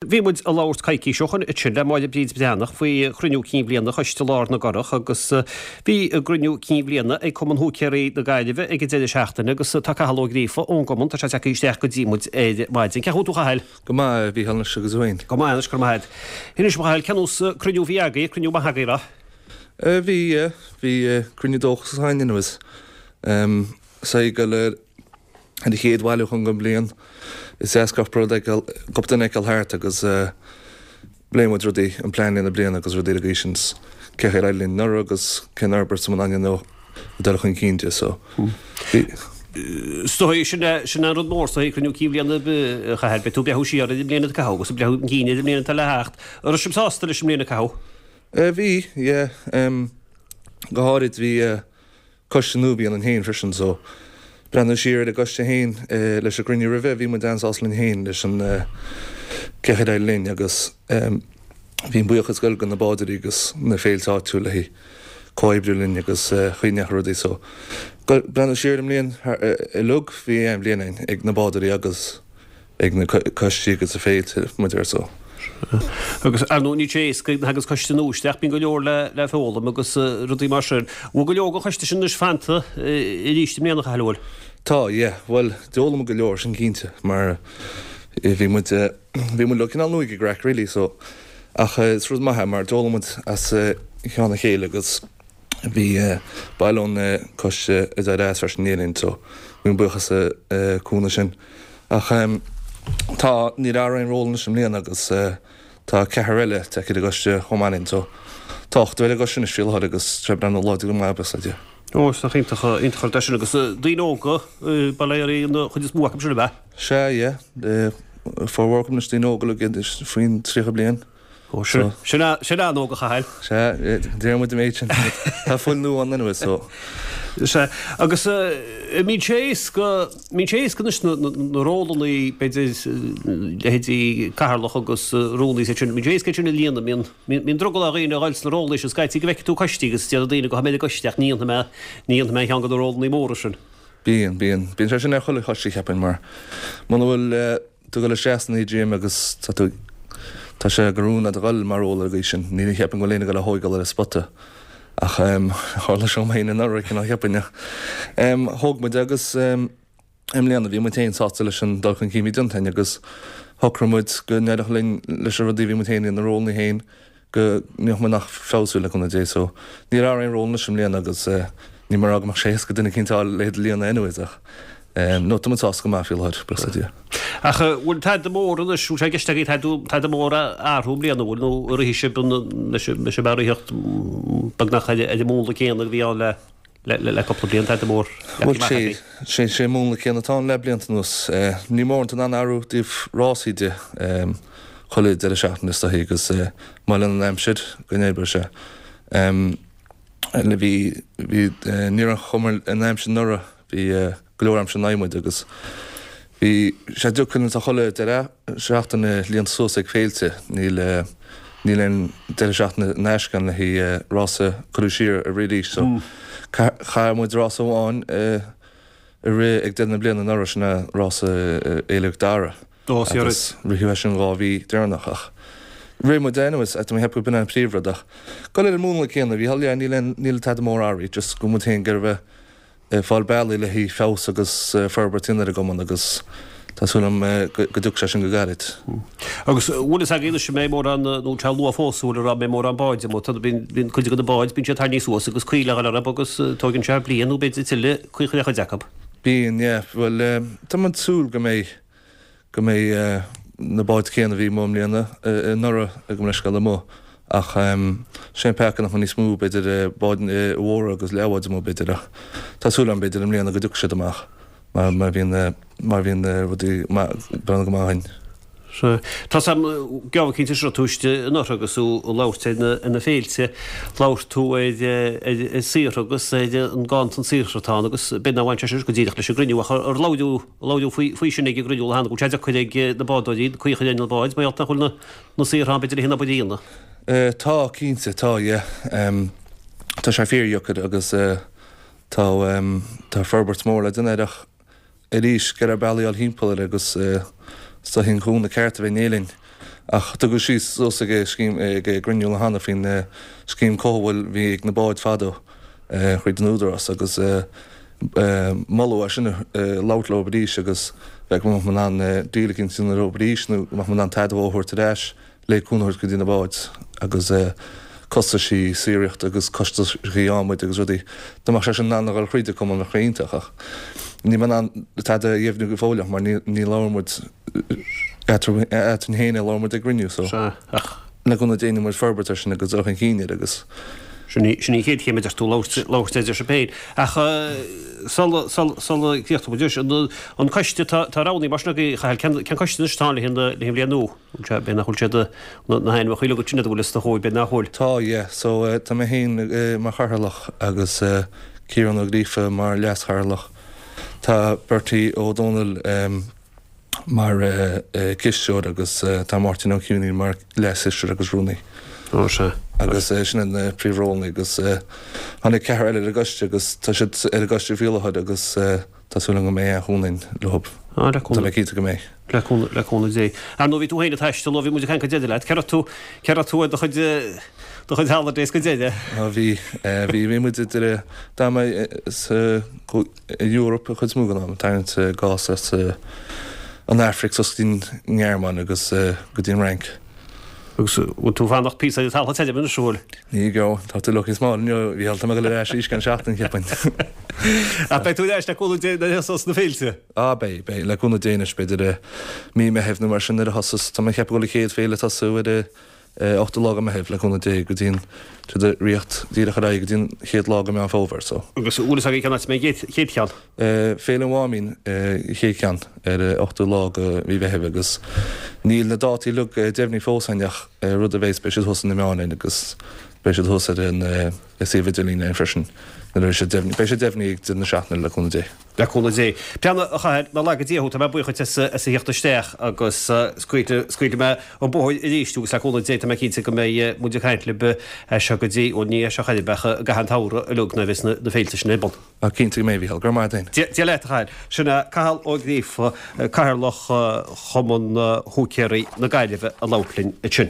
Bhí muid ag labhairt coicís ó shoin ansin le Máire Bríd Breathnach faoi chruinniú cinn bhliana Choiste Lár na gCurrach agus bhí a gcruinniú cinn bhliana ag Cumann Húicéirí na Gaillimhe ag an deireadh seachtaine agus tá Cathal Ó Gríofa ón gcumann, tá sé tagtha isteach go dtí muid ar maidin. Cén chaoi a bhfuil tú a Chathail? Go maith, a Mhícheáil anois agus thú fhéin? Go maith anois, go raibh maith agat. Inis dom a Chathail, cén nós cruinniú a bhí agaibh, cruinniú maith agaibh, an raibh? Bhí, yeah, bhí cruinniú dóchasach againn anyways. Is ag dul ar an chéad bhailiúchán den bhliain. Is deas cúpla rud a fheiceáil, cúpla duine a fheiceáil thart agus pléann muid rudaí, an plean lena bliana agus rudaí ar an gcaoi sin. Cén chaoi ar éirigh linn anuraidh agus cén fhorbairt a mbíonn ann ag dul chun cinn de so bhí. Is dóigh, sin é, sin é an rud mór is dóigh, cruinniú cinn bhliana a Chathail, beidh tú ag breathnú siar ar an mbliain atá caitheamh agus ag breathnú chun cinn ar an mbliain atá le theacht. An raibh sibh sásta leis an mbliain a caitheadh? Bhí, yeah. Go háirid bhí coiste nua a bhí ionainn féin freisin so breathnú siar ar an gcoiste féin leis an gcruinniú roimhe bhí muid an-sásta linn féin leis an cén chaoi ar éirigh linn agus bhí an buíochas ag dul go na bádóirí agus na féilte áitiúil le comhoibriú linn agus chaoi a ndeachaigh rudaí so breathnú siar ar an mbliain uilig bhí an-bhliain againn ag na bádóirí agus ag na coistí agus na féilte muid ar so. Agus ar ndóigh níl sé éasca nuair a thagas coiste nua isteach, bíonn go leor le foghlaim agus rudaí mar sin. Bhfuil go leor den choiste sin anois fanta arís i mbliana, a Chathail, an bhfuil? Tá, yeah. Bhuel, d'fhoghlaim muid go leor, sin cinnte, mar bhí muid, bhí muid uilig cineál nua ag an gcraic really so ach is rud maith é mar d'fhoghlaim muid as ceann a chéile agus Bhí baill ón coiste a d'éirigh as freisin in éindí linn so gabhaim buíochas as an cúnamh sin. Ach tá, níor athraigh aon ról anois i mbliana agus tá ceathrar eile tagtha ar an gcoiste chomh maith linn so tá ochtar ar an gcoiste anois faoi láthair agus tá sé ag breathnú láidir go maith buíochas le Dia. Ó, is nach iontach, iontach an rud é sin agus daoine óga, bail ó Dhia an chuid is mó acu sin, ab ea? Sea, yeah. Formhór acu anois daoine óga uilig faoin 30 bliain. Ó, sin, sin, sin an-óg a Chathail. Sea, deir muid an méid sin. Tá fuil nua ann anyways, so. Sea, agus an mbíonn sé éasca, mbíonn sé éasca anois na, na, na rólannaí, b'fhéidir, leithéidí cathaoirleach agus rúnaí is iad sin, mbíonn sé éasca iad sin a líonadh, mbíonn, mbíonn drogall ar dhaoine a dhul sna rólannaí sin, scaití go bhfeicfidh tú coistí agus déarfaidh daoine gabhfaidh mé ar an gcoiste ach ní dhéanfaidh mé, ní dhéanfaidh mé ceann de na rólannaí móra sin. Bíonn, bíonn. Bíonn sé sin ar chuile choiste, cheapfainn, mar muna bhfuil, tú ag dul isteach san AGM agus tá tú, tá sé de rún agat a dhul mar ról ar an gcaoi sin. Ní cheapaim go bhfuil éinne ag dul a thóigeáil ar an spota ach tharla sé dom féin anuraidh cineál cheapfainn ach thóg muid agus i mbliana bhí muid féin sásta leis an dul chun cinn a bhí déanta againn agus shocraigh muid go n-éireodh linn leis na rudaí a bhí muid féin na rólanna féin go ndéanfadh muid nach feabhsú le cúnamh Dé so níor athraigh aon ról anois i mbliana agus níl mé ag rá go mbeadh sé éasca duine eicínt a fháil le iad a líonadh anyways ach no tá muid sásta go maith faoi láthair, buíochas le Dia. Ach bhfuil tada mór anois, bhfuil sé i gceist agaibh tada, tada mór a athrú i mbliana, bhfuil nó an rithfidh sibh an, leis an ritheacht beagnach ar an múnla céanna a bhí ann le le cúpla bliain, tada mór Bhuel, sé, sé, sé an múnla céanna atá ann le blianta anuas. Níl mórán in ann athrú ó thaobh rásaí de chuile deireadh seachtaine is dóichí agus má fheileann an aimsir go n-oibreoidh sé. Le bhí, bhí, ní raibh an chuma ar an aimsir anuraidh, bhí go leor aimsir in aghaidh muid agus bhí sé deacair tá chuile deireadh seachtaine líonta suas ag féilte, níl níl aon deireadh seachtaine in aisce ann le haghaidh rása cuireadh siar a rith arís so chaith muid rása amháin a rith ag deireadh na bliana anuraidh, sin é rása Fhéile Mhic Dara agus ritheadh é sin 2 mhí deireanach ach rith muid anyways tá mé ag ceapadh go b'in an príomhrud ach dul ar an múnla céanna a Mhícheáil yeah níl aon níl tada mór athraithe just go bhfuil muid féin ag iarraidh bheith ag fáil bealaí le haghaidh feabhas agus forbairt a dhéanamh ar an gcumann agus tá súil agam go dtiocfaidh sé sin go gairid. Agus bhfuil fhios agaibh anois an mbeidh mórán, nó tá sé luath fós bhfuil a rá an mbeidh mórán báid amuigh, tá bíonn cuid de na báid, bíonn siad tarraingthe suas agus caoi le dhul orthu agus tóigeann sé bliain nó b'fhéidir tuilleadh caoi a chur ar chuid acu. Bíonn, yeah. Bhuel, tá mé ag súil go mbeidh go mbeidh na báid céanna a bhí amuigh i mbliana anuraidh gabh mo leithscéal amuigh ach sé an peaca nach mbeidh níos mó b'fhéidir báid mhóra agus leathbháid amuigh b'fhéidir ach tá súil agam b'fhéidir i mbliana go dtiocfaidh siad amach mar mar bhíonn mar bhíonn rudaí breathnú go maith againn. Sea. Tá sam geábh eicínt anseo tú istigh anuraidh agus tú ag labhairt ar na ar na féilte, labhair tú ar ar ar saothar agus ar an ganntan saothar atá ann agus b'fhéidir nár bhain sé sin go díreach leis an gcruinniú ach ar labhraíodh Labhraíodh faoi sin ag an gcruinniú cheana, go bhfuil sé deacair ag na bádóirí caoi a chur ar na báid mar gheall nach bhfuil na saortha ann b'fhéidir le haghaidh an obair a dhéanamh. Tá, cinnte, tá, yeah. Tá sé fíordheacair agus tá, tá forbairt mhór le déanamh air ach arís, go raibh bealaí a fháil thimpeall air agus is dóichí an cúnamh ceart a bheith in éirinn. Ach tugadh síos suas ag scéim ag gcruinniú cheana faoin scéim cothabháil a bhí ag na báid fadó thríd an Údarás agus moladh é sin a labhairt leo arís agus bheith go mbeadh muid in ann deal eicínt a dhéanamh leo arís nó go mbeadh muid in ann tada a thabhairt ar ais le cúnamh a thabhairt go dtí na báid agus costaisí saothraíochta agus costaisí adhmaid agus rudaí. Dá mbeadh sé sin in ann a dhul thríd an cumann bheadh sé iontach ach níl mé in ann tada a dheimhniú go fóill ach mar ní labhair muid eadrainn féin é labhair muid ag gcruinniú so Sea, ach. le cúnamh Dé déanfaidh muid forbairt ar sin agus dul chun cinn air agus. Sin í, sin í an chéad chéim a deir tú, labhairt, labhairt idir sibh féin. Ach sula, sula, sula gcríochnóidh muid anois, an, an coiste, tá, tá roghnaithe mar sin agaibh, a Chathail, cén, cén coiste anois atá ann le haghaidh an, le haghaidh an bhliain nua? Bhfuil sé, b'fhéidir nach bhfuil siad, na, na hainmneacha uilig agat sin, an bhfuil os do chomhair, b'fhéidir nach bhfuil. Tá, yeah. So tá mé féin mar chathaoirleach agus Ciarán Ó Gríofa mar leas-chathaoirleach. Tá Bertie Ó Dónaill mar cisteoir agus tá Máirtín Ó Cianaigh mar leas-chisteoir agus rúnaí. Ó sea. Agus sin iad na príomhrólanna agus tháinig ceathrar eile ar an gcoiste agus tá siad ar an gcoiste faoi láthair agus tá súil agam go mbeidh an-chúnamh againn leo. Á, le Tá mé cinnte go mbeidh. Le cúnamh, le cúnamh Dé. Ar ndóigh bhí tú féin ag taisteal ó bhí muid ag caint go deireadh leat. Cé raibh tú, cé raibh tú ar do chuid, do chuid holidays go deireadh? Á bhí, bhí, bhí muid idir, d'fhan mé sa, Eoraip an chuid is mó den am, ag tarraingt gás as an Afraic suas go dtí an nGearmáin agus go dtí an Fhrainc. Agus bhfuil tú ag fanacht píosa ar an talamh tirim anois, an bhfuil? Ní go, tá tú lucky small inniu, a Mhícheáil, tá mé ag dul ar ais arís i gceann seachtain, cheapfainn. Ach beidh tú ar ais le cúnamh Dé nuair a thosós na féilte? Á beidh, beidh, le cúnamh Dé anois, b'fhéidir i mí Meithimh nó mar sin nuair a thosós, tá mé ag ceapadh go bhfuil an chéad féile ag tosú ar an 8ú lá de Mheitheamh, le cúnamh Dé, go dtí an, siad ag ritheacht díreach ar aghaidh go dtí an chéad lá de Meán Fómhair, so. Agus an bhfuil fhios agaibh cén áit a mbeidh an chéad cheann? Féile an Mháimín, an chéad cheann, ar an 8ú lá de mhí Mheithimh agus níl na dátaí uilig deimhnithe fós againn ach rud a bheas, beidh siad thuas ar na meáin againn agus beidh siad thuas ar an suíomh idirlín againn freisin nuair a bheidh siad deimhnithe. Beidh siad deimhnithe ag deireadh na seachtaine, le cúnamh Dé. Le cúnamh Dé. Breathnaigh, a Chathail, nár laga Dia thú, tá mé buíoch dhuit as a theacht isteach agus scaoilfidh mé an bóthar arís thú agus le cúnamh Dé tá mé cinnte go mbeidh muid ag caint libh as seo go dtí, bhuel ní as seo chor ar bith ach i gcaitheamh an tsamhraidh uilig nuair a bheas na féilte sin ar bun. Ah, cinnte go mbeidh, a Mhícheáil. Go raibh maith agat féin. Dia leat, a Chathail. Sin é Cathal Ó Gríofa, Cathaoirleach Chumann Húicéirí na Gaillimhe ag labhairt linn ansin.